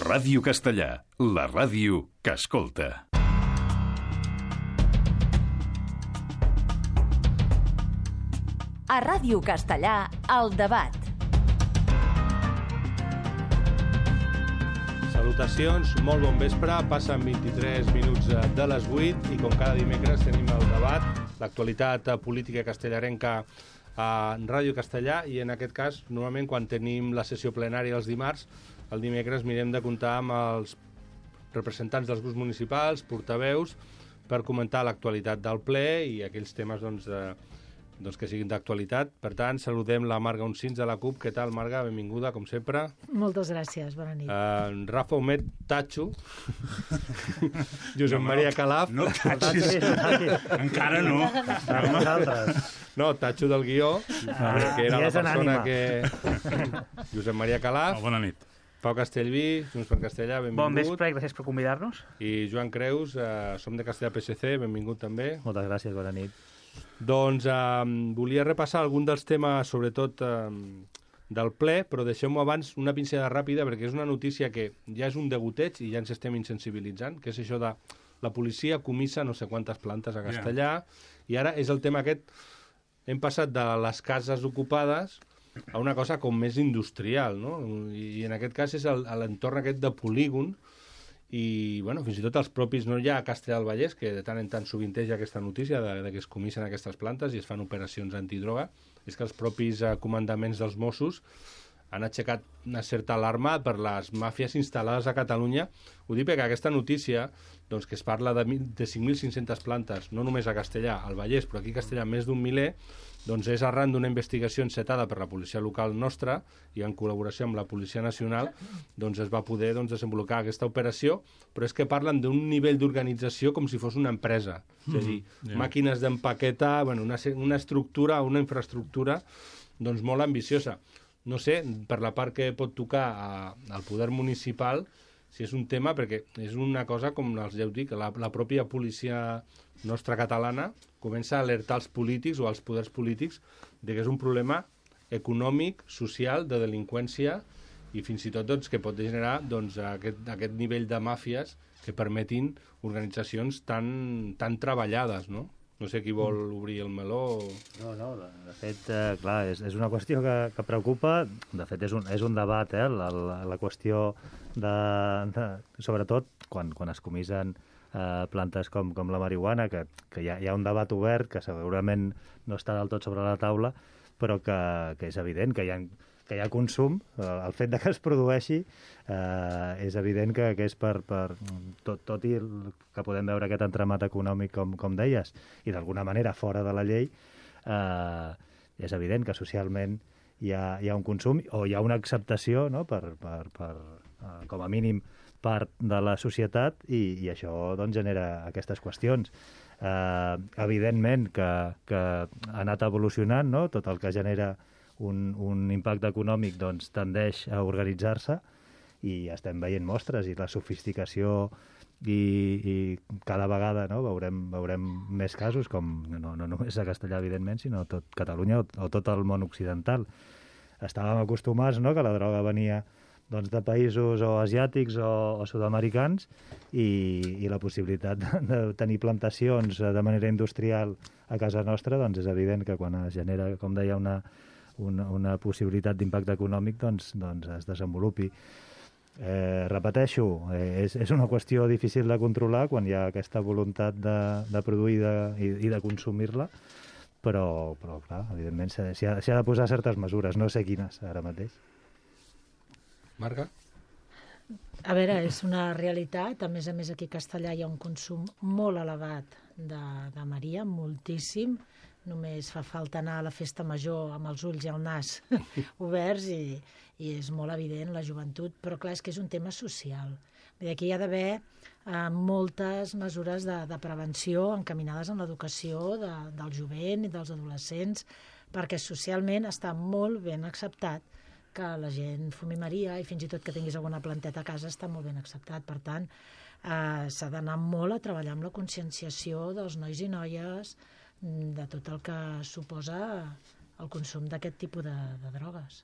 Ràdio Castellà, la ràdio que escolta. A Ràdio Castellà, El Debat. Salutacions, molt bon vespre. Passen 23 minuts de les 8 i com cada dimecres tenim el debat, l'actualitat política castellarenca a Ràdio Castellà, i en aquest cas, normalment quan tenim la sessió plenària els dimarts, el dimecres mirem de comptar amb els representants dels grups municipals, portaveus, per comentar l'actualitat del ple i aquells temes que siguin d'actualitat. Per tant, saludem la Marga Uncins de la CUP. Què tal, Marga? Benvinguda, com sempre. Moltes gràcies, bona nit. Rafa Homet, Tatxo. Josep Maria Calaf. No, Tatxo. Encara no. No, Tatxo del guió, que era la persona que... Josep Maria Calaf. Bona nit. Pau Castellví, Junts per Castellà, benvingut. Bon vespre i gràcies per convidar-nos. I Joan Creus, som de Castellà PSC, benvingut també. Moltes gràcies, bona nit. Doncs volia repassar algun dels temes, sobretot del ple, però deixem-ho abans una pinzellada ràpida, perquè és una notícia que ja és un degoteig i ja ens estem insensibilitzant, que és això de la policia comissa no sé quantes plantes a Castellà, i ara és el tema aquest, hem passat de les cases ocupades a una cosa com més industrial, no? I en aquest cas és l'entorn aquest de polígon, i bueno, fins i tot els propis, no hi ha a Castellà del Vallès, que de tant en tant sovinteja aquesta notícia de que es comissen aquestes plantes i es fan operacions antidroga, és que els propis comandaments dels Mossos han aixecat una certa alarma per les màfies instal·lades a Catalunya. Ho dic perquè aquesta notícia, doncs, que es parla de 5.500 plantes, no només a Castellà, al Vallès, però aquí a Castellà més d'un miler, doncs és arran d'una investigació encetada per la policia local nostra i en col·laboració amb la Policia Nacional, doncs es va poder desenvolupar aquesta operació, però és que parlen d'un nivell d'organització com si fos una empresa. És a dir, màquines d'empaquetar, una estructura, una infraestructura doncs molt ambiciosa. No sé, per la part que pot tocar al poder municipal, si és un tema, perquè és una cosa, com els heu dit, que la pròpia policia nostra catalana comença a alertar els polítics o els poders polítics de que és un problema econòmic, social, de delinqüència i fins i tot que pot generar aquest nivell de màfies que permetin organitzacions tan treballades, no? No sé qui vol obrir el meló. No, de fet, clar, és una qüestió que preocupa. De fet, és un debat, la qüestió sobretot quan es comissen plantes com la marihuana, que hi ha un debat obert que segurament no està del tot sobre la taula, però que és evident que hi ha consum. El fet de que es produeixi és evident que és per tot i que podem veure aquest entramat econòmic, com deies, i d'alguna manera fora de la llei, és evident que socialment hi ha un consum o hi ha una acceptació, no? per com a mínim part de la societat, i això doncs genera aquestes qüestions. Evidentment que ha anat evolucionant, no? Tot el que genera un impacte econòmic doncs tendeix a organitzar-se, i estem veient mostres, i la sofisticació i cada vegada, no, veurem més casos, com no només a Castellà, evidentment, sinó a tot Catalunya o tot el món occidental. Estàvem acostumats, no?, que la droga venia de països o asiàtics o sud-americans, i la possibilitat de tenir plantacions de manera industrial a casa nostra, doncs és evident que quan es genera, com deia, una possibilitat d'impacte econòmic, doncs es desenvolupi. Repeteixo, és una qüestió difícil de controlar quan hi ha aquesta voluntat de produir i de consumir-la, però clar, evidentment s'hi ha de posar certes mesures, no sé quines ara mateix. Marga? A veure, és una realitat. A més aquí a Castellà hi ha un consum molt elevat de Maria, moltíssim. Només fa falta anar a la festa major amb els ulls i el nas oberts i és molt evident la joventut, però clar, és que és un tema social. Aquí hi ha d'haver moltes mesures de prevenció encaminades en l'educació del jovent i dels adolescents, perquè socialment està molt ben acceptat que la gent fumi Maria, i fins i tot que tinguis alguna planteta a casa està molt ben acceptat. Per tant, s'ha d'anar molt a treballar amb la conscienciació dels nois i noies de tot el que suposa el consum d'aquest tipus de drogues.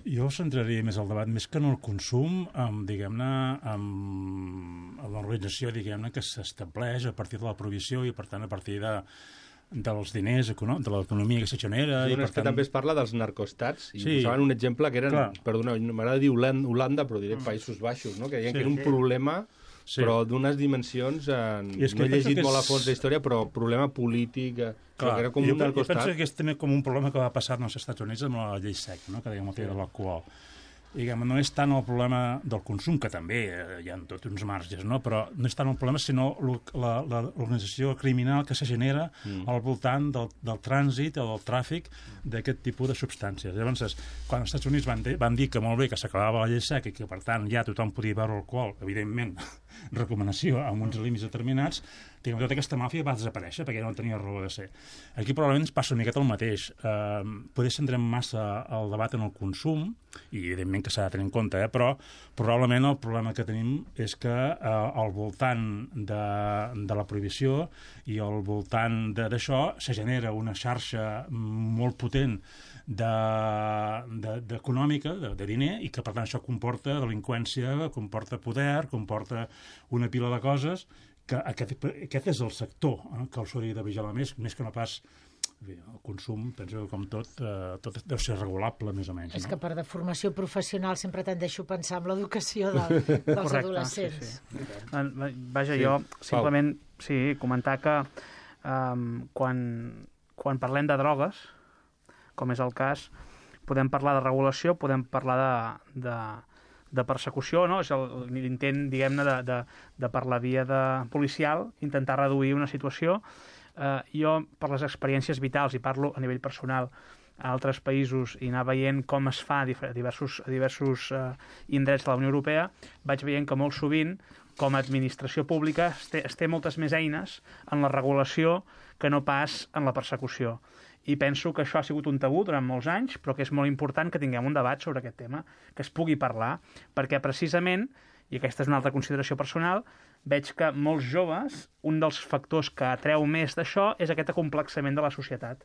Jo centraria més el debat, més que en el consum, diguem-ne, amb l'organització, diguem-ne, que s'estableix a partir de la prohibició i, per tant, a partir dels diners, de l'economia que se genera. Sí, i, per tant... també es parla dels narcoestats, i sí, posaven un exemple que eren, perdona, m'agrada dir Holanda, però diré Països Baixos, no? Que deien que era un problema, però d'unes dimensions, no he llegit molt a fons la història, però problema polític... Clar, era com un narcoestat. Jo penso que és també com un problema que va passar als Estats Units amb la llei SEC, no? Que dèiem el tema de l'alcohol. Diguem, no és tant el problema del consum, que també hi ha tots uns marges, no? Però no és tant el problema, sinó l'organització criminal que se genera al voltant del trànsit o del tràfic d'aquest tipus de substàncies. Llavors, quan els Estats Units van dir que molt bé, que s'acabava la llei SEC i que, per tant, ja tothom podia beure alcohol, evidentment, recomanació amb uns límits determinats, tota aquesta màfia va desaparèixer perquè no tenia raó de ser. Aquí probablement ens passa una miqueta el mateix. Potser centrem massa el debat en el consum, i evidentment que s'ha de tenir en compte, però probablement el problema que tenim és que al voltant de la prohibició i al voltant d'això se genera una xarxa molt potent econòmica, de diner, i que per tant això comporta delinqüència, comporta poder, comporta una pila de coses que aquest és el sector que els hauria de vigilar més que no pas el consum. Penso que com tot deu ser regulable més o menys. És que per de formació professional sempre tendeixo a pensar en l'educació dels adolescents. Sí. Vaja, jo simplement comentar que quan parlem de drogues, com és el cas, podem parlar de regulació, podem parlar de persecució, no? És l'intent, diguem-ne, de per la via policial, intentar reduir una situació. Jo, per les experiències vitals, i parlo a nivell personal, a altres països, i anar veient com es fa a diversos indrets de la Unió Europea, vaig veient que molt sovint, com a administració pública, es té moltes més eines en la regulació que no pas en la persecució. I penso que això ha sigut un tabú durant molts anys, però que és molt important que tinguem un debat sobre aquest tema, que es pugui parlar, perquè precisament, i aquesta és una altra consideració personal, veig que molts joves, un dels factors que atreu més d'això és aquest acomplexament de la societat.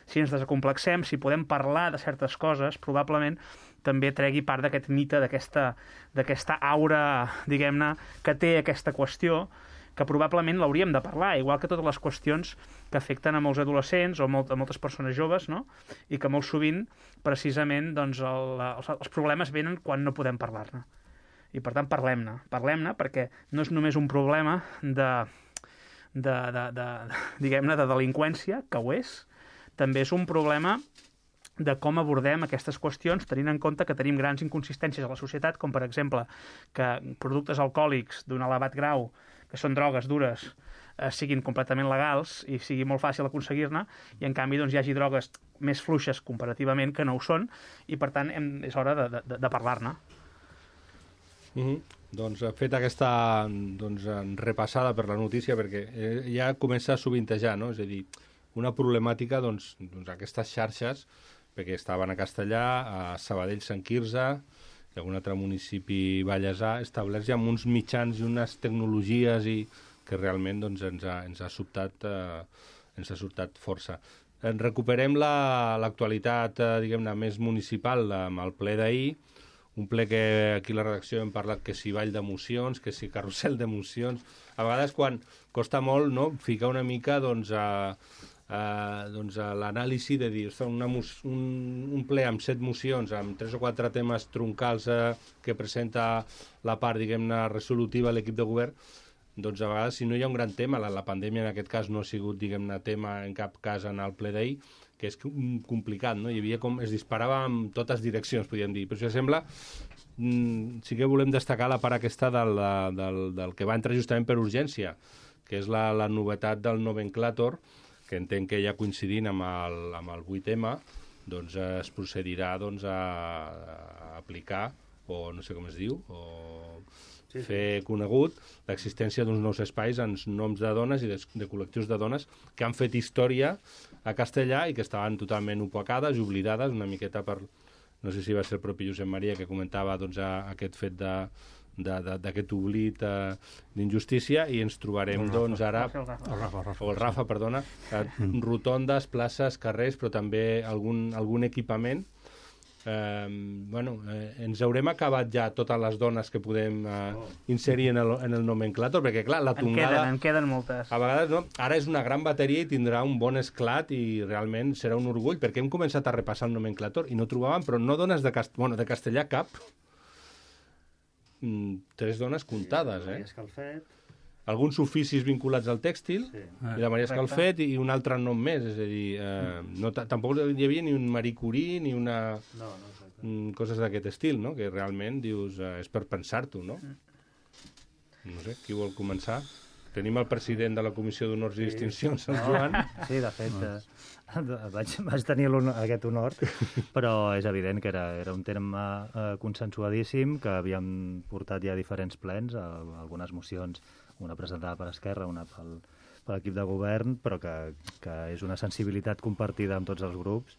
Si ens desacomplexem, si podem parlar de certes coses, probablement també tregui part d'aquest mite, d'aquesta aura, diguem-ne, que té aquesta qüestió, que probablement l'hauríem de parlar, igual que totes les qüestions que afecten a molts adolescents o a moltes persones joves, no? I que molt sovint, precisament, doncs, els problemes venen quan no podem parlar-ne. I, per tant, parlem-ne, perquè no és només un problema diguem-ne, de delinqüència, que ho és, també és un problema de com abordem aquestes qüestions, tenint en compte que tenim grans inconsistències a la societat, com, per exemple, que productes alcohòlics d'un elevat grau, que són drogues dures, siguin completament legals i sigui molt fàcil aconseguir-ne, i en canvi doncs, hi hagi drogues més fluixes comparativament que no ho són, i per tant és hora de parlar-ne. Doncs fet aquesta repassada per la notícia, perquè ja comença a sovintejar, no? És a dir, una problemàtica, doncs aquestes xarxes, perquè estaven a Castellà, a Sabadell, Sant Quirze, i algun altre municipi vallesà, establerts ja amb uns mitjans i unes tecnologies que realment ens ha sobtat força. Recuperem l'actualitat, diguem-ne, més municipal amb el ple d'ahir, un ple que aquí a la redacció hem parlat que si ball d'emocions, que si carrusel d'emocions. A vegades quan costa molt, no?, ficar una mica a l'anàlisi de dir, un ple amb 7 mocions, amb 3 o 4 temes troncals que presenta la part, diguem-ne, resolutiva a l'equip de govern, doncs a vegades, si no hi ha un gran tema, la pandèmia en aquest cas no ha sigut, diguem-ne, tema en cap cas en el ple d'ahir, que és complicat, no? Hi havia com es disparava en totes direccions, podríem dir. Però això sembla, sí que volem destacar la part aquesta del que va entrar justament per urgència, que és la novetat del nomenclàtor, que entenc que ja coincidint amb el 8M, doncs es procedirà a aplicar, o no sé com es diu, o fer conegut l'existència d'uns nous espais en noms de dones i de col·lectius de dones que han fet història a Castellà i que estaven totalment opacades i oblidades, una miqueta per... No sé si va ser el propi Josep Maria que comentava aquest fet d'aquest oblit d'injustícia, i ens trobarem ara el Rafa, rotondes, places, carrers, però també algun equipament ens haurem acabat ja totes les dones que podem inserir en el nomenclàtor, perquè clar, la tongada... En queden moltes. A vegades no, ara és una gran bateria i tindrà un bon esclat i realment serà un orgull, perquè hem començat a repassar el nomenclàtor i no trobàvem, però no dones de castellà cap, 3 dones comptades, Maria Escalfet. Alguns oficis vinculats al tèxtil, Sí. i la Maria Escalfet i un altre nom més, és a dir, tampoc hi havia ni un Marie Curie ni una... No, exacte. Coses d'aquest estil, no? Que realment dius, és per pensar-t'ho, no? No sé, qui vol començar? Tenim el president de la Comissió d'Honors i Distincions, el Joan. Sí, de fet, vaig tenir aquest honor, però és evident que era un terme consensuadíssim, que havíem portat ja diferents plens, algunes mocions, una presentada per Esquerra, una per l'equip de govern, però que és una sensibilitat compartida amb tots els grups,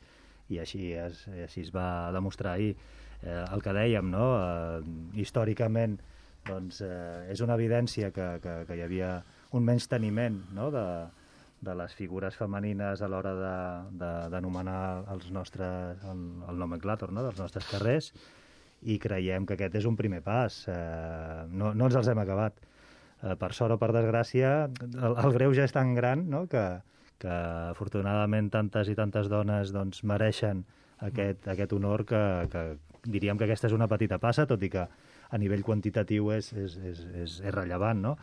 i així es va demostrar ahir. El que dèiem, no? Històricament, doncs, és una evidència que hi havia un menysteniment, no? de les figures femenines a l'hora d'anomenar el nomenclàtor, no? dels nostres carrers, i creiem que aquest és un primer pas. No ens els hem acabat. Per sort o per desgràcia, el greuge és tan gran, no? que afortunadament tantes i tantes dones doncs, mereixen aquest honor, que diríem que aquesta és una petita passa, tot i que a nivell quantitatiu és rellevant, no?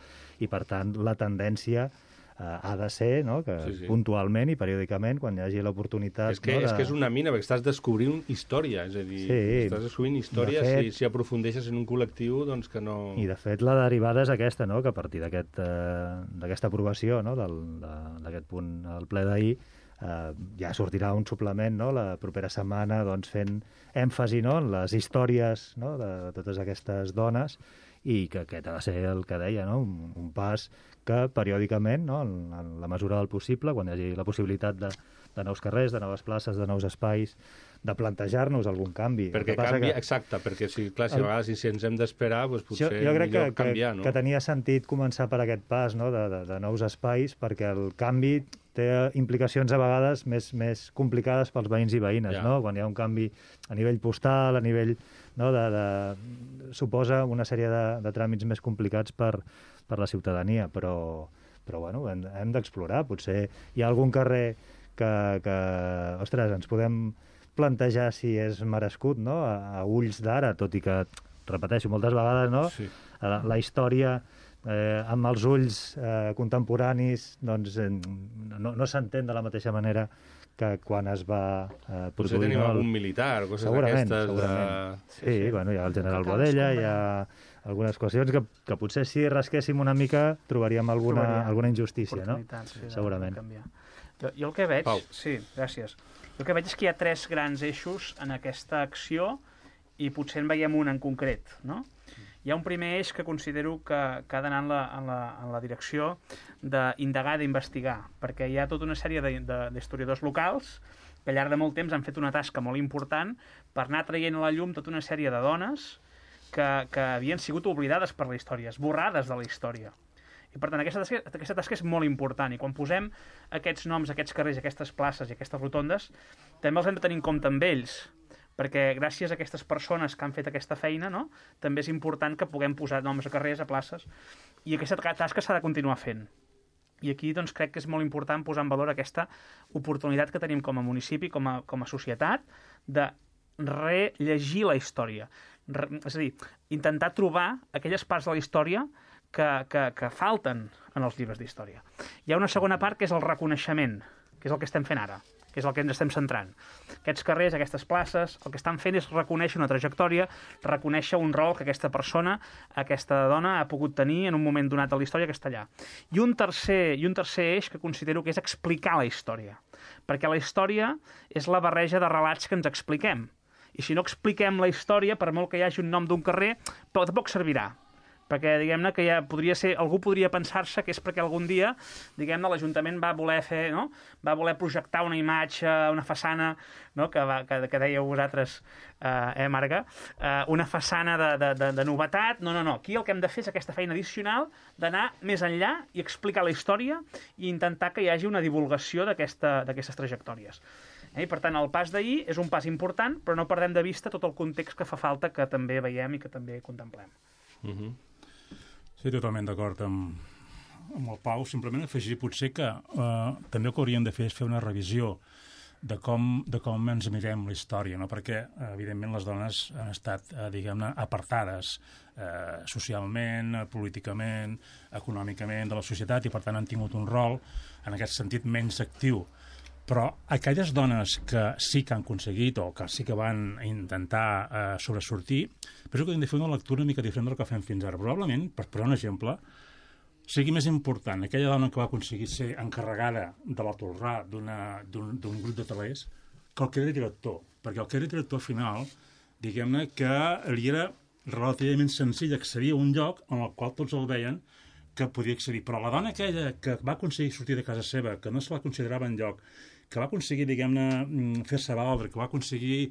I per tant la tendència ha de ser, no? Que sí. puntualment i periòdicament, quan hi hagi l'oportunitat... És que és una mina, perquè estàs descobrint història, és a dir, estàs descobrint història, de fet, si aprofundeixes en un col·lectiu, doncs que no... I de fet la derivada és aquesta, no? Que a partir d'aquesta aprovació, no? d'aquest punt al ple d'ahir, ja sortirà un suplement, no? La propera setmana, doncs, fent èmfasi, no? En les històries, no? De totes aquestes dones, i que aquest ha de ser el que deia, no? Un pas que periòdicament, no? En la mesura del possible, quan hi hagi la possibilitat de nous carrers, de noves places, de nous espais, de plantejar-nos algun canvi. Perquè canvia, exacte, perquè si a vegades si ens hem d'esperar, doncs potser millor canviar, no? Jo crec que tenia sentit començar per aquest pas, no? de nous espais, perquè el canvi té implicacions a vegades més complicades pels veïns i veïnes, no? Quan hi ha un canvi a nivell postal, a nivell... No? Suposa una sèrie de tràmits més complicats per la ciutadania, però bueno, hem d'explorar. Potser hi ha algun carrer que ostres, ens podem plantejar si és merescut, no? A ulls d'ara, tot i que, repeteixo, moltes vegades, no? Sí. La història amb els ulls contemporanis doncs, no s'entén de la mateixa manera que quan es va produir... Potser tenim algun militar, coses d'aquestes... Segurament. Sí, bueno, hi ha el general Bodella, hi ha algunes qüestions que potser si rasquéssim una mica trobaríem alguna injustícia, no? Sí, segurament. Jo el que veig... Pau. Sí, gràcies. El que veig és que hi ha 3 grans eixos en aquesta acció i potser en veiem un en concret, no? Hi ha un primer eix que considero que ha d'anar en la direcció d'indagar, d'investigar, perquè hi ha tota una sèrie d'historiadors locals que al llarg de molt temps han fet una tasca molt important per anar traient a la llum tota una sèrie de dones que havien sigut oblidades per la història, esborrades de la història. I per tant, aquesta tasca és molt important, i quan posem aquests noms, aquests carrers, aquestes places i aquestes rotondes, també els hem de tenir en compte amb ells, perquè gràcies a aquestes persones que han fet aquesta feina, no? També és important que puguem posar noms a carrers, a places, i aquesta tasca s'ha de continuar fent. I aquí doncs, crec que és molt important posar en valor aquesta oportunitat que tenim com a municipi, com a societat, de rellegir la història. És a dir, intentar trobar aquelles parts de la història que falten en els llibres d'història. Hi ha una segona part que és el reconeixement, que és el que estem fent ara, que és el que ens estem centrant. Aquests carrers, aquestes places, el que estan fent és reconèixer una trajectòria, reconèixer un rol que aquesta persona, aquesta dona, ha pogut tenir en un moment donat de la història que està allà. I un tercer eix que considero que és explicar la història. Perquè la història és la barreja de relats que ens expliquem. I si no expliquem la història, per molt que hi hagi un nom d'un carrer, tampoc servirà. Perquè, diguem-ne, que ja podria ser... Algú podria pensar-se que és perquè algun dia, diguem-ne, l'Ajuntament va voler fer, no? Va voler projectar una imatge, una façana, no? Que dèieu vosaltres, Marga, una façana de novetat. No. Aquí el que hem de fer és aquesta feina addicional d'anar més enllà i explicar la història i intentar que hi hagi una divulgació d'aquestes trajectòries. I per tant, el pas d'ahir és un pas important, però no perdem de vista tot el context que fa falta, que també veiem i que també contemplem. Sí, totalment d'acord amb el Pau. Simplement afegir potser que també el que hauríem de fer és fer una revisió de com ens mirem la història, no? Perquè, evidentment, les dones han estat, diguem-ne, apartades socialment, políticament, econòmicament de la societat i, per tant, han tingut un rol, en aquest sentit, menys actiu. Però aquelles dones que sí que han aconseguit o que sí que van intentar sobresortir, penso que hem de fer una lectura una mica diferent del que fem fins ara. Probablement, per posar un exemple, sigui més important aquella dona que va aconseguir ser encarregada de la Tolrà d'un grup de telers que el que era director. Perquè el que era director al final, diguem-ne que li era relativament senzill accedir a un lloc en el qual tots el veien que podia accedir. Però la dona aquella que va aconseguir sortir de casa seva, que no se la considerava enlloc, que va aconseguir, diguem-ne, fer-se valdre, que va aconseguir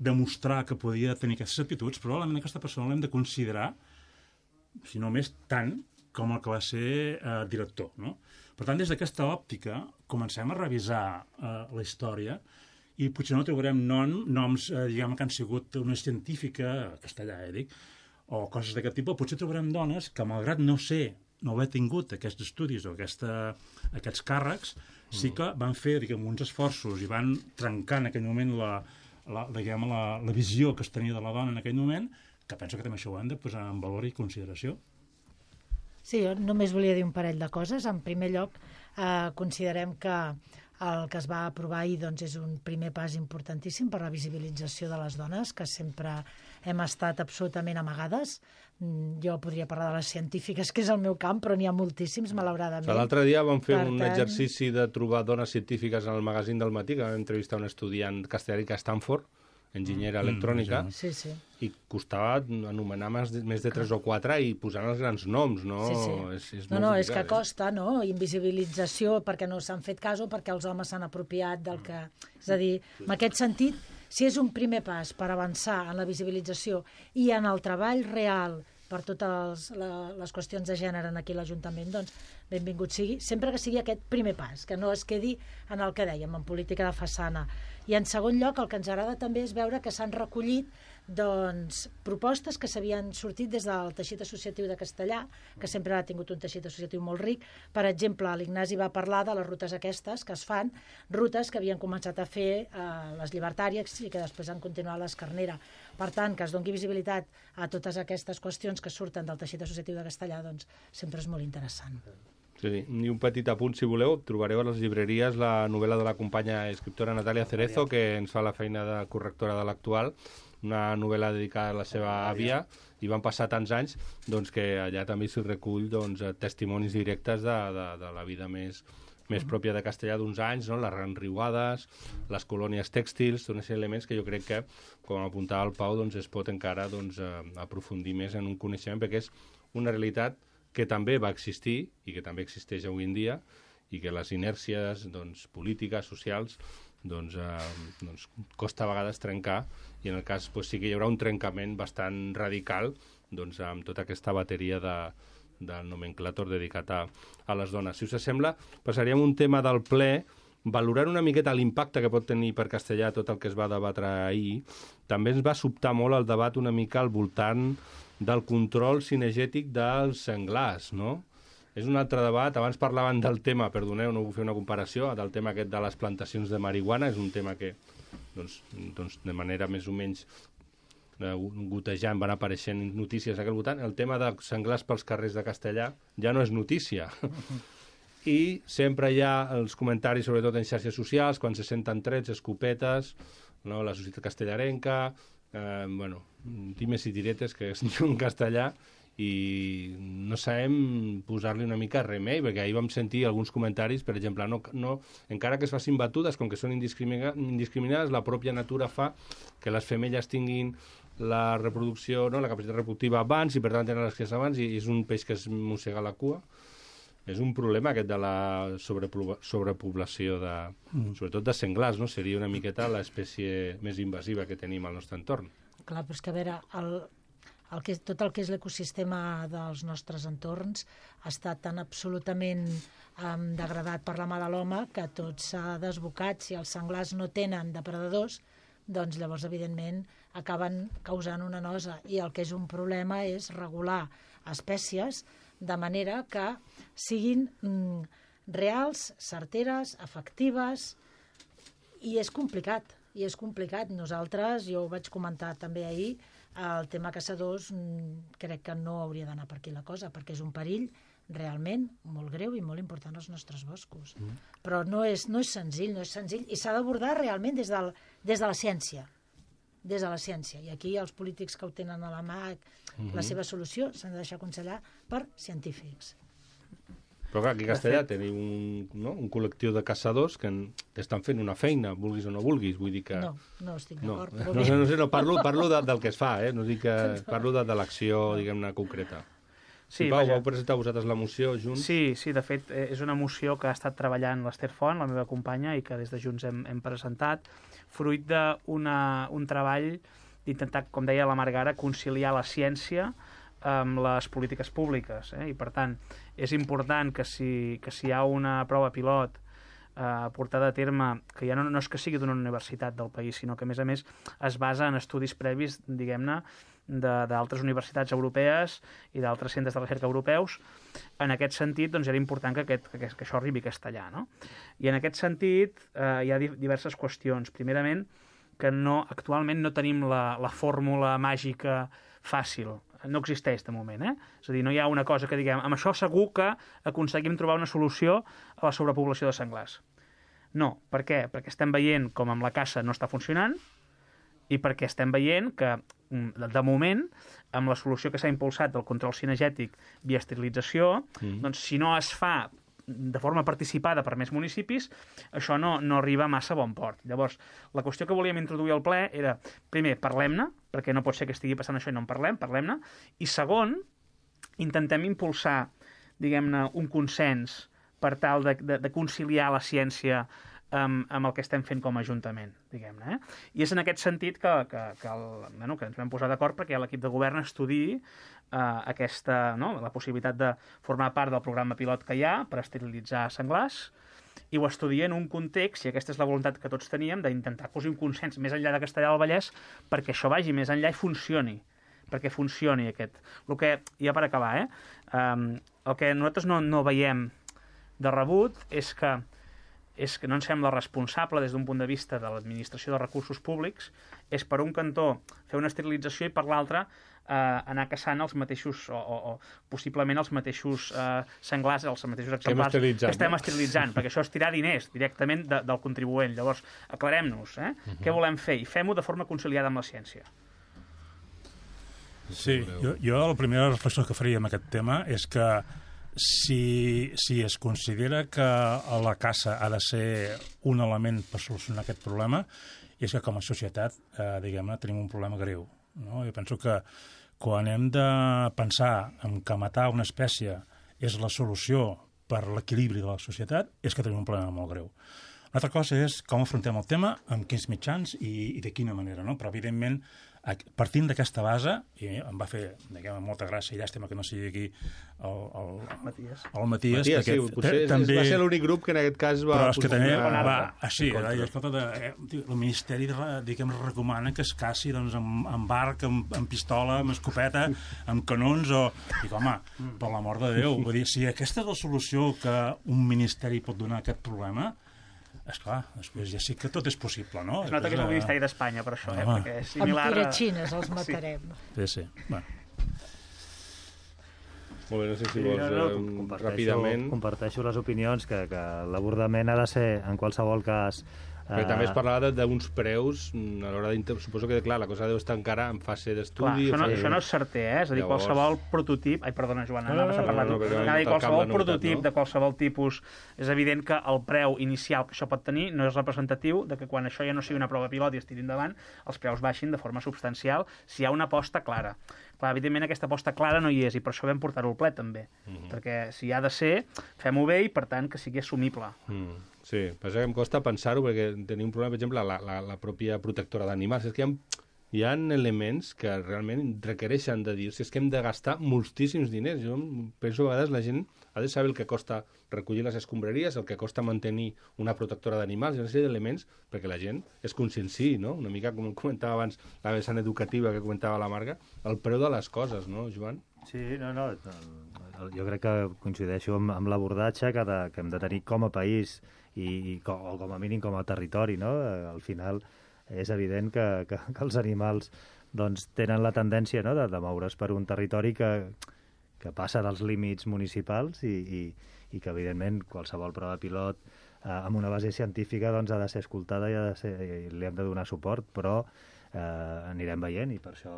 demostrar que podia tenir aquestes aptituds, probablement aquesta persona l'hem de considerar, si no més, tant com el que va ser director, no? Per tant, des d'aquesta òptica, comencem a revisar la història i potser no trobarem noms diguem, que han sigut una científica, castellà, dic, o coses d'aquest tipus. Potser trobarem dones que, malgrat no haver tingut aquests estudis o aquests càrrecs, sí que van fer, diguem, uns esforços i van trencar en aquell moment la visió que es tenia de la dona en aquell moment, que penso que també això ho hem de posar en valor i consideració. Sí, jo només volia dir un parell de coses. En primer lloc, considerem que el que es va aprovar ahir doncs, és un primer pas importantíssim per la visibilització de les dones, que sempre hem estat absolutament amagades. Jo podria parlar de les científiques, que és el meu camp, però n'hi ha moltíssims, malauradament. L'altre dia vam fer un exercici de trobar dones científiques en el magazín del matí, que vam entrevistar un estudiant castellà a Stanford, enginyera electrònica, i costava anomenar més de 3 o 4 i posant els grans noms, no? És és que costa, no? Invisibilització perquè no s'han fet cas o perquè els homes s'han apropiat del que... És a dir, en aquest sentit, si és un primer pas per avançar en la visibilització i en el treball real per totes les qüestions de gènere en aquí l'Ajuntament, doncs benvingut sigui, sempre que sigui aquest primer pas, que no es quedi en el que dèiem, en política de façana. I en segon lloc, el que ens agrada també és veure que s'han recollit doncs, propostes que s'havien sortit des del teixit associatiu de Castellà, que sempre ha tingut un teixit associatiu molt ric. Per exemple, l'Ignasi va parlar de les rutes aquestes que es fan, rutes que havien començat a fer les llibertàries i que després han continuat l'Escarnera. Per tant, que es doni visibilitat a totes aquestes qüestions que surten del teixit associatiu de Castellà, doncs sempre és molt interessant. Sí, i un petit apunt, si voleu, trobareu a les llibreries la novel·la de la companya escriptora Natàlia Cerezo, que ens fa la feina de correctora de l'Actual, una novel·la dedicada a la seva àvia, i van passar tants anys doncs, que allà també s'hi recull doncs, testimonis directes de la vida més pròpia de Castellà d'uns anys, no? Les riuades, les colònies tèxtils, són aquests elements que jo crec que, com apuntava el Pau, doncs, es pot encara doncs, aprofundir més en un coneixement, perquè és una realitat que també va existir i que també existeix avui en dia i que les inèrcies doncs, polítiques, socials, doncs, costa a vegades trencar, i en el cas doncs, sí que hi haurà un trencament bastant radical doncs, amb tota aquesta bateria del nomenclàtor dedicat a les dones. Si us sembla, passaríem un tema del ple, valorant una miqueta l'impacte que pot tenir per Castellà tot el que es va debatre ahir. També ens va sobtar molt el debat una mica al voltant del control cinegètic dels senglars, no? És un altre debat. Abans parlaven del tema, perdoneu, no vull fer una comparació, del tema aquest de les plantacions de marihuana. És un tema que, doncs de manera més o menys gotejant van apareixent notícies aquell voltant. El tema de senglars pels carrers de Castellà ja no és notícia. I sempre hi ha els comentaris, sobretot en xarxes socials, quan se senten trets, escopetes, no? La societat castellarenca, times i tiretes, que es diu en castellà, i no sabem posar-li una mica remei, perquè ahir vam sentir alguns comentaris, per exemple, encara que es facin batudes, com que són indiscriminades, la pròpia natura fa que les femelles tinguin la reproducció, no? La capacitat reproductiva abans, i per tant tenen les cries abans, i és un peix que es mossega la cua. És un problema aquest de la sobrepoblació, sobretot de senglars, no? Seria una miqueta l'espècie més invasiva que tenim al nostre entorn. Clar, però és que a veure, tot el que és l'ecosistema dels nostres entorns ha estat tan absolutament degradat per la mà de l'home que tot s'ha desbocat. Si els senglars no tenen depredadors, doncs llavors, evidentment, acaben causant una nosa. I el que és un problema és regular espècies de manera que siguin reals, certeres, efectives, i és complicat. Nosaltres, jo ho vaig comentar també ahir, el tema caçadors crec que no hauria d'anar per aquí la cosa, perquè és un perill realment molt greu i molt important als nostres boscos. Però no és senzill, i s'ha d'abordar realment des de la ciència. I aquí els polítics que ho tenen a la mà, la seva solució s'han de deixar aconsellar per científics. Però clar, aquí a Castellà tenim un col·lectiu de caçadors que estan fent una feina, vulguis o no vulguis, vull dir que... No estic d'acord. No, parlo del que es fa, no dic que parlo de l'acció, diguem-ne, concreta. Sí, Pau, vau presentar vosaltres la moció Junts? Sí, de fet, és una moció que ha estat treballant l'Ester Font, la meva companya, i que des de Junts hem presentat, fruit d'un treball d'intentar, com deia la Margara, conciliar la ciència amb les polítiques públiques. I, per tant, és important que si hi ha una prova pilot portada a terme, que ja no és que sigui d'una universitat del país, sinó que, a més, es basa en estudis previs, diguem-ne, d'altres universitats europees i d'altres centres de recerca europeus. En aquest sentit, doncs, era important que això arribi a Castellà, no? I en aquest sentit hi ha diverses qüestions. Primerament, que actualment no tenim la fórmula màgica fàcil. No existeix de moment, És a dir, no hi ha una cosa que diguem, amb això segur que aconseguim trobar una solució a la sobrepoblació de senglars. No. Per què? Perquè estem veient com amb la caça no està funcionant i perquè estem veient que, de moment, amb la solució que s'ha impulsat del control cinegètic via esterilització, doncs si no es fa de forma participada per més municipis, això no arriba massa a bon port. Llavors, la qüestió que volíem introduir al ple era, primer, parlem-ne, perquè no pot ser que estigui passant això i no en parlem-ne, i segon, intentem impulsar, diguem-ne, un consens per tal de conciliar la ciència amb el que estem fent com a Ajuntament, diguem-ne. I és en aquest sentit que ens vam posar d'acord perquè l'equip de govern estudiï la possibilitat de formar part del programa pilot que hi ha per esterilitzar senglars, i ho estudia en un context, i aquesta és la voluntat que tots teníem, d'intentar posar un consens més enllà de Castellà del Vallès perquè això vagi més enllà i funcioni, perquè funcioni aquest. El que, ja per acabar, el que nosaltres no veiem de rebut és que no ens sembla responsable des d'un punt de vista de l'administració de recursos públics, és per un cantó fer una esterilització i per l'altre anar caçant els mateixos, o possiblement els mateixos senglars, els mateixos exemplars que estem esterilitzant, perquè això és tirar diners directament del contribuent. Llavors, aclarem-nos, què volem fer? I fem-ho de forma conciliada amb la ciència. Sí, jo la primera reflexió que faria amb aquest tema és que si es considera que la caça ha de ser un element per solucionar aquest problema, és que com a societat, diguem-ne, tenim un problema greu. No? Jo penso que quan hem de pensar en que matar una espècie és la solució per l'equilibri de la societat, és que tenim un problema molt greu. Una altra cosa és com afrontem el tema, amb quins mitjans i de quina manera, no? Però, evidentment, partint d'aquesta base, i em va fer, diguem, molta gràcia i llàstima que no sigui aquí el Matías, sí, potser va ser l'únic grup que en aquest cas va... Però és que també va així, el Ministeri, diguem, recomana que es caci amb arc, amb pistola, amb escopeta, amb canons, dic, home, per l'amor de Déu, vull dir, si aquesta és la solució que un ministeri pot donar a aquest problema, esclar, després ja sí que tot és possible, no? Es nota que és el Ministeri d'Espanya, per això, perquè és similar... Amb tiratxines els matarem. Sí. Bueno. Molt bé, no sé si vols ràpidament... Comparteixo les opinions que l'abordament ha de ser, en qualsevol cas... Però també es parlava d'uns preus a l'hora suposo que, clar, la cosa deu estar encara en fase d'estudi... Això no és certer, és a dir, qualsevol prototip... Ai, perdona, Joan, qualsevol prototip de qualsevol tipus... És evident que el preu inicial que això pot tenir no és representatiu de que quan això ja no sigui una prova pilot i es tiri endavant, els preus baixin de forma substancial si hi ha una aposta clara. Clar, evidentment aquesta aposta clara no hi és, i per això vam portar-ho al ple, també. Perquè si ha de ser, fem-ho bé i, per tant, que sigui assumible. Sí, passa que em costa pensar-ho perquè tenim un problema, per exemple, la pròpia protectora d'animals. És que hi hi ha elements que realment requereixen de dir, si és que hem de gastar moltíssims diners. Jo penso que a vegades la gent ha de saber el que costa recollir les escombraries, el que costa mantenir una protectora d'animals, una sèrie d'elements perquè la gent es conscienciï, no? Una mica com comentava abans la vessant educativa que comentava la Marga, el preu de les coses, no, Joan? Sí, no, jo crec que coincideixo amb l'abordatge que hem de tenir com a país o com a mínim com a territori, no? Al final és evident que els animals doncs, tenen la tendència, no?, de moure's per un territori que passa dels límits municipals i que, evidentment, qualsevol prova pilot amb una base científica doncs, ha de ser escoltada i li hem de donar suport, però anirem veient i per això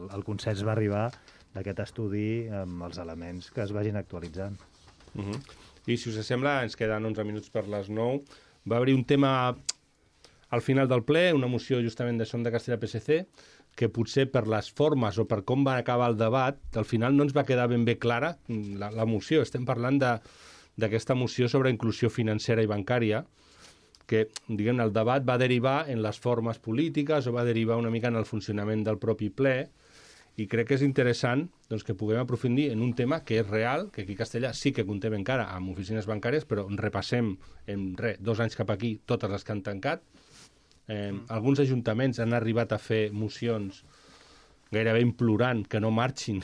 el consens va arribar d'aquest estudi amb els elements que es vagin actualitzant. I si us sembla, ens queden 11 minuts per les 9. Va haver-hi un tema al final del ple, una moció justament de Som de Castella-PSC, que potser per les formes o per com va acabar el debat, al final no ens va quedar ben bé clara la moció. Estem parlant d'aquesta moció sobre inclusió financera i bancària, que, diguem, el debat va derivar en les formes polítiques o va derivar una mica en el funcionament del propi ple, i crec que és interessant doncs, que puguem aprofundir en un tema que és real, que aquí a Castellà sí que comptem encara amb oficines bancàries, però repassem en 2 anys cap aquí totes les que han tancat. Alguns ajuntaments han arribat a fer mocions gairebé implorant que no marxin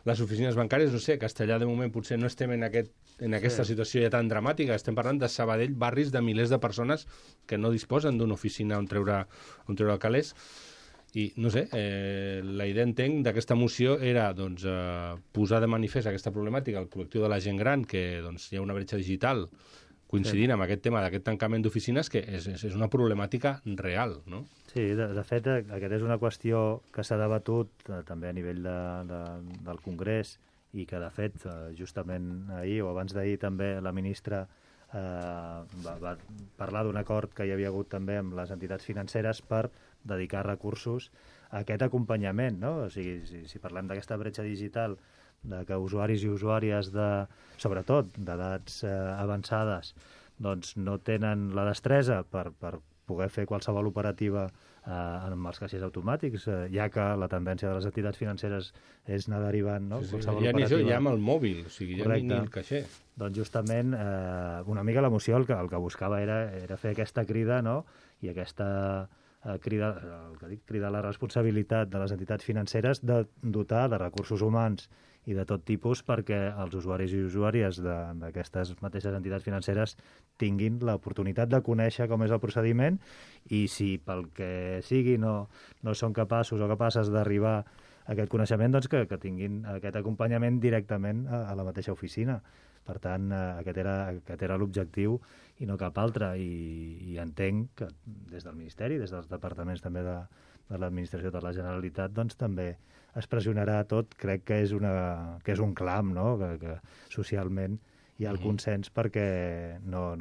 les oficines bancàries. No sé, a Castellà de moment potser no estem en aquesta situació ja tan dramàtica. Estem parlant de Sabadell, barris de milers de persones que no disposen d'una oficina on treure calés. I, no sé, la idea, entenc, d'aquesta moció era doncs, posar de manifest aquesta problemàtica al col·lectiu de la gent gran, que doncs, hi ha una bretxa digital coincidint amb aquest tema d'aquest tancament d'oficines, que és una problemàtica real, no? Sí, de fet, aquesta és una qüestió que s'ha debatut també a nivell del Congrés i que, de fet, justament ahir o abans d'ahir també la ministra va parlar d'un acord que hi havia hagut també amb les entitats financeres per dedicar recursos a aquest acompanyament, no? O sigui, si parlem d'aquesta bretxa digital, de que usuaris i usuàries, sobretot d'edats avançades, doncs no tenen la destresa per poder fer qualsevol operativa amb els caixers automàtics, ja que la tendència de les entitats financeres és anar derivant, no? Sí, ja ni això, ja amb el mòbil, o sigui, ja ni el caixer. Doncs justament una mica la moció el que buscava era fer aquesta crida, no? I aquesta crida a la responsabilitat de les entitats financeres de dotar de recursos humans i de tot tipus perquè els usuaris i usuàries d'aquestes mateixes entitats financeres tinguin l'oportunitat de conèixer com és el procediment i si pel que sigui no són capaços o capaces d'arribar a aquest coneixement, doncs que tinguin aquest acompanyament directament a la mateixa oficina. Per tant, aquest era l'objectiu i no cap altre. I entenc que des del Ministeri, des dels departaments també de l'administració de la Generalitat, doncs també es pressionarà tot. Crec que és un clam, no? Que socialment hi ha el consens perquè no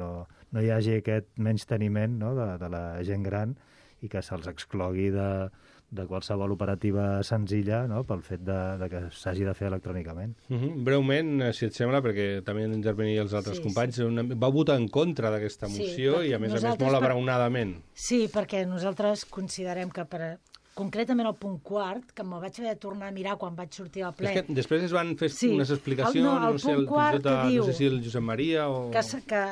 hi hagi aquest menysteniment, no? de la gent gran i que se'ls exclogui de qualsevol operativa senzilla, no? Pel fet de que s'hagi de fer electrònicament. Breument, si et sembla, perquè també han d'intervenir els altres companys, va votar en contra d'aquesta moció i a més molt abraonadament. Sí, perquè nosaltres considerem que concretament el punt quart, que me'l vaig haver de tornar a mirar quan vaig sortir al ple. És que després es van fer unes explicacions, no sé si el Josep Maria o... Que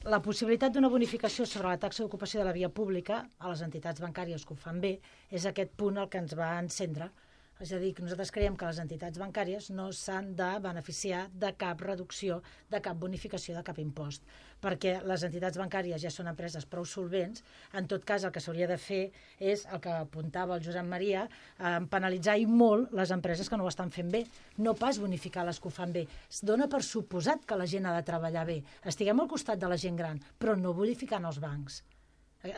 la possibilitat d'una bonificació sobre la taxa d'ocupació de la via pública a les entitats bancàries que ho fan bé és aquest punt el que ens va encendre. És a dir, que nosaltres creiem que les entitats bancàries no s'han de beneficiar de cap reducció, de cap bonificació, de cap impost, perquè les entitats bancàries ja són empreses prou solvents. En tot cas, el que s'hauria de fer és el que apuntava el Josep Maria, penalitzar i molt les empreses que no ho estan fent bé, no pas bonificar les que ho fan bé. Es dona per suposat que la gent ha de treballar bé. Estiguem al costat de la gent gran, però no bonificant els bancs.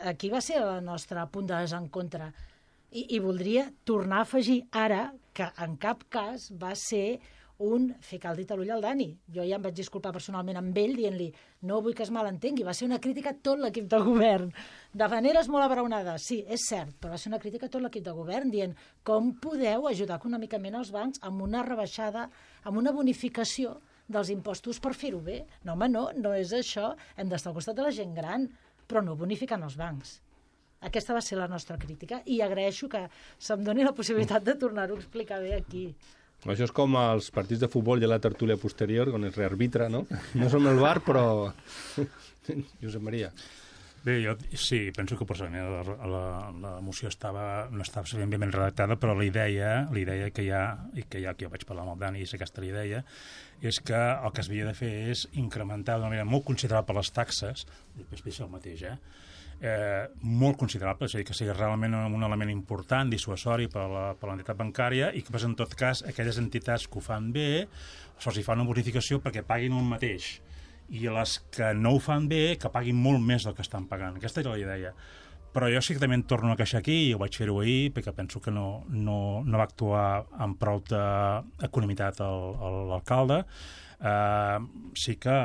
Aquí va ser el nostre punt de desencontre. I voldria tornar a afegir ara que en cap cas va ser ficar el dit a l'ull al Dani. Jo ja em vaig disculpar personalment amb ell dient-li no vull que es malentengui. Va ser una crítica a tot l'equip de govern. De maneres molt abraonades, sí, és cert, però va ser una crítica a tot l'equip de govern dient com podeu ajudar econòmicament els bancs amb una rebaixada, amb una bonificació dels impostos per fer-ho bé. No, home, no és això. Hem d'estar al costat de la gent gran, però no bonificant els bancs. Aquesta va ser la nostra crítica i agraeixo que se'm doni la possibilitat de tornar-ho a explicar bé aquí. Això és com els partits de futbol i la tertúlia posterior, on es rearbitra, no? No som el VAR, però... Josep Maria. Bé, jo sí, penso que personalment la moció no estava ben redactada, però la idea que hi ha, i que ja que jo vaig parlar amb el Dani, és aquesta la idea, és que el que s'havia de fer és incrementar d'una manera molt considerable les taxes, després és el mateix, molt considerable, és a dir, que sigui realment un element important, dissuasori per a l'entitat bancària, i que, en tot cas, aquelles entitats que ho fan bé, se'ls fa una bonificació perquè paguin el mateix, i les que no ho fan bé, que paguin molt més del que estan pagant. Aquesta era la idea. Però jo sí que també em torno a queixar aquí, i ho vaig fer-ho ahir, perquè penso que no va actuar amb prou economitat l'alcalde. Sí que,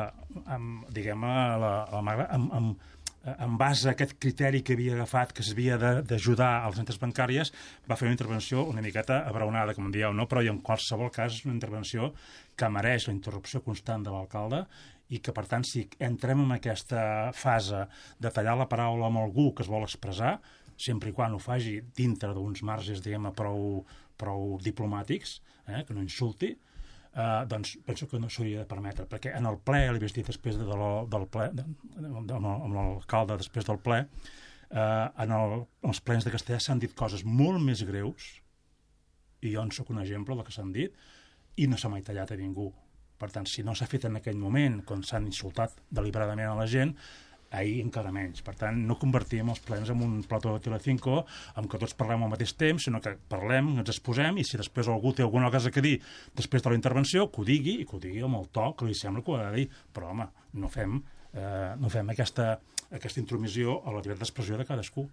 diguem-ne, en base a aquest criteri que havia agafat, que s'havia d'ajudar a les entitats bancàries, va fer una intervenció una miqueta abraonada, com dieu, no? Però en qualsevol cas és una intervenció que mereix la interrupció constant de l'alcalde i que, per tant, si entrem en aquesta fase de tallar la paraula amb algú que es vol expressar, sempre i quan ho faci dintre d'uns marges, diguem-ne, prou diplomàtics, que no insulti, doncs penso que no s'hauria de permetre, perquè en el ple, li vaig dir després del ple, amb l'alcalde després del ple, en els plens de Castellà s'han dit coses molt més greus, i jo en soc un exemple del que s'han dit, i no s'ha mai tallat a ningú. Per tant, si no s'ha fet en aquell moment, quan s'han insultat deliberadament a la gent, ahir encara menys. Per tant, no convertim els plens en un plató de Telecinco en què tots parlem al mateix temps, sinó que parlem, ens exposem, i si després algú té alguna cosa a dir després de la intervenció, que ho digui, i que ho digui amb el to que li sembla que ho ha de dir. Però, home, no fem aquesta intromissió a la llibertat d'expressió de cadascú.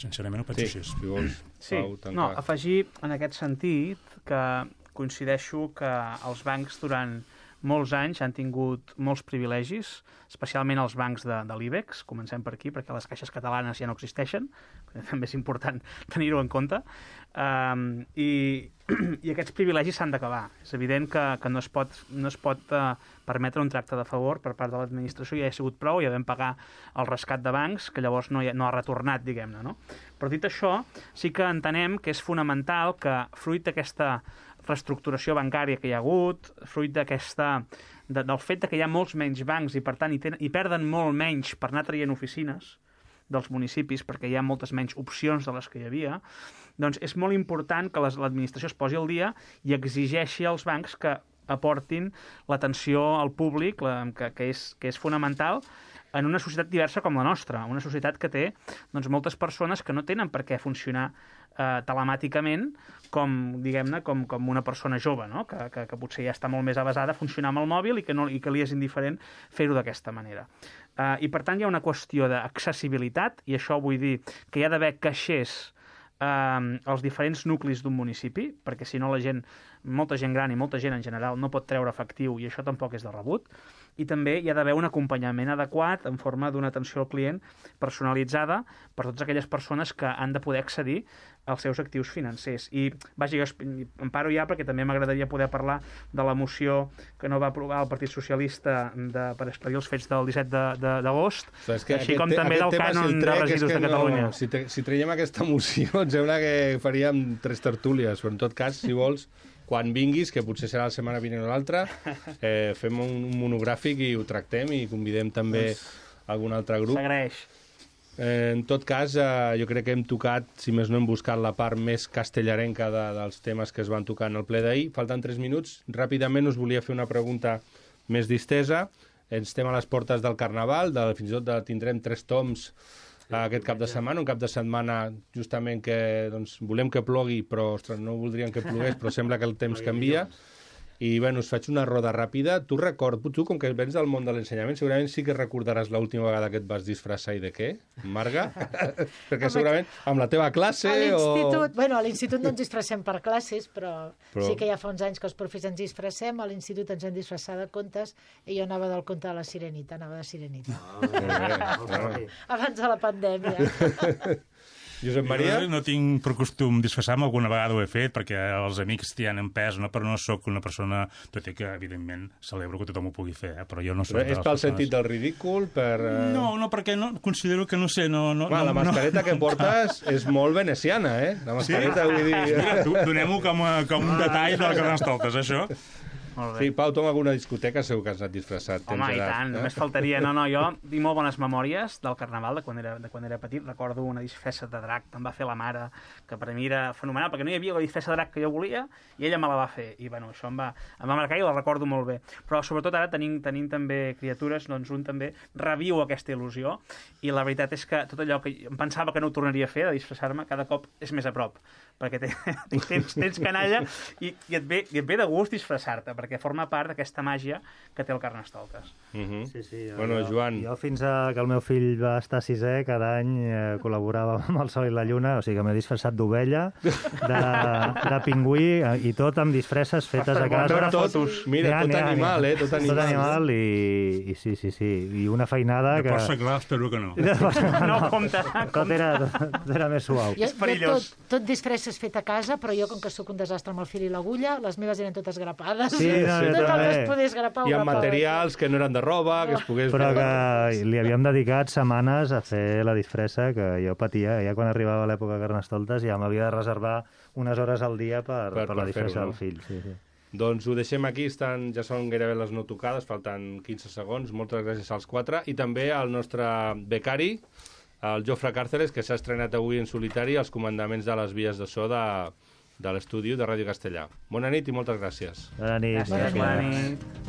Sincerament ho penso així. Si vols, Pau, no, afegir en aquest sentit que coincideixo que els bancs durant molts anys han tingut molts privilegis, especialment els bancs de l'IBEX, comencem per aquí, perquè les caixes catalanes ja no existeixen, també és important tenir-ho en compte, i aquests privilegis s'han d'acabar. És evident que no es pot permetre un tracte de favor per part de l'administració, ja ha sigut prou, ja vam pagar el rescat de bancs, que llavors no ha retornat, diguem-ne, no? Però dit això, sí que entenem que és fonamental que, fruit d'aquesta reestructuració bancària que hi ha hagut, fruit del fet que hi ha molts menys bancs i, per tant, hi perden molt menys per anar traient oficines dels municipis, perquè hi ha moltes menys opcions de les que hi havia, doncs és molt important que l'administració es posi al dia i exigeixi als bancs que aportin l'atenció al públic, que és fonamental en una societat diversa com la nostra, una societat que té moltes persones que no tenen per què funcionar telemàticament com una persona jove, no? que potser ja està molt més avasada a funcionar amb el mòbil i que li és indiferent fer-ho d'aquesta manera. I per tant hi ha una qüestió d'accessibilitat, i això vull dir que hi ha d'haver caixers als diferents nuclis d'un municipi, perquè si no molta gent gran i molta gent en general no pot treure efectiu, i això tampoc és de rebut. I també hi ha d'haver un acompanyament adequat en forma d'una atenció al client personalitzada per totes aquelles persones que han de poder accedir als seus actius financers. I, vaja, jo em paro ja perquè també m'agradaria poder parlar de la moció que no va aprovar el Partit Socialista per esclarir els fets del 17 d'agost, així com també del cànon de residus de Catalunya. Si traiem aquesta moció, em sembla que faríem 3 tertúlies, però en tot cas, si vols, quan vinguis, que potser serà la setmana vinent o l'altra, fem un monogràfic i ho tractem i convidem també algun altre grup. S'agraeix. En tot cas, jo crec que hem tocat, si més no hem buscat la part més castellarenca dels temes que es van tocar en el ple d'ahir. Falten 3 minuts. Ràpidament us volia fer una pregunta més distesa. Estem a les portes del Carnaval, fins i tot tindrem 3 toms aquest cap de setmana, un cap de setmana justament que volem que plogui, però ostres, no voldríem que plogués, però sembla que el temps canvia. I bueno, us faig una roda ràpida. Tu, com que vens del món de l'ensenyament, segurament sí que recordaràs l'última vegada que et vas disfressar i de què, Marga? Perquè segurament amb la teva classe a l'institut no ens disfressem per classes, però sí que ja fa uns anys que els profes ens disfressem. A l'institut ens hem disfressat de contes i jo anava del conte de la Sirenita, anava de Sirenita. Abans de la pandèmia. Josep Maria? Jo no tinc per costum disfressar-me, alguna vegada ho he fet, perquè els amics tenen pes, no? Però no sóc una persona, tot i que, evidentment, celebro que tothom ho pugui fer, però jo no soc... És pel sentit del ridícul? No, perquè considero que, no sé, no... La mascareta que portes és molt veneciana, La mascareta, vull dir... Donem-ho com un detall del Carnestoltes, això. Sí, Pau, tu en alguna discoteca segur que has anat disfressat. Home, i tant, només faltaria. No, jo tinc molt bones memòries del Carnaval, de quan era petit. Recordo una disfressa de drac que em va fer la mare, que per a mi era fenomenal, perquè no hi havia la disfressa de drac que jo volia, i ella me la va fer. I, bueno, això em va marcar i la recordo molt bé. Però, sobretot, ara tenint també criatures, doncs un també reviu aquesta il·lusió, i la veritat és que tot allò que em pensava que no ho tornaria a fer, de disfressar-me, cada cop és més a prop, perquè tens canalla i et ve de gust disfressar-te, perquè forma part d'aquesta màgia que té el Carnestoltes. Sí, bueno, Joan... Jo fins que el meu fill va estar a sisè, cada any col·laborava amb el Sol i la Lluna, o sigui que m'he disfressat d'ovella, de pingüí, i tot amb disfresses fetes a casa. Mira, tot animal, Tot animal, i sí. I una feinada que... De pots seglar, espero que no. No, compte. Tot era més suau. És perillós. Tot disfresses fet a casa, però jo, com que sóc un desastre amb el fil i l'agulla, les meves eren totes grapades. Sí, tot el que es pogués grapar. I amb materials que no eren de roba, que es pogués... Però que li havíem dedicat setmanes a fer la disfressa, que jo patia. Ja quan arribava l'època de Carnestoltes ja m'havia de reservar unes hores al dia per la disfressa del fill. Sí. Doncs ho deixem aquí, ja són gairebé les no tocades, falten 15 segons. Moltes gràcies als 4. I també al nostre becari, el Jofre Càrceres, que s'ha estrenat avui en solitari als comandaments de les vies de so de l'estudi de Ràdio Castellà. Bona nit i moltes gràcies. Bona nit. Gràcies. Bona nit.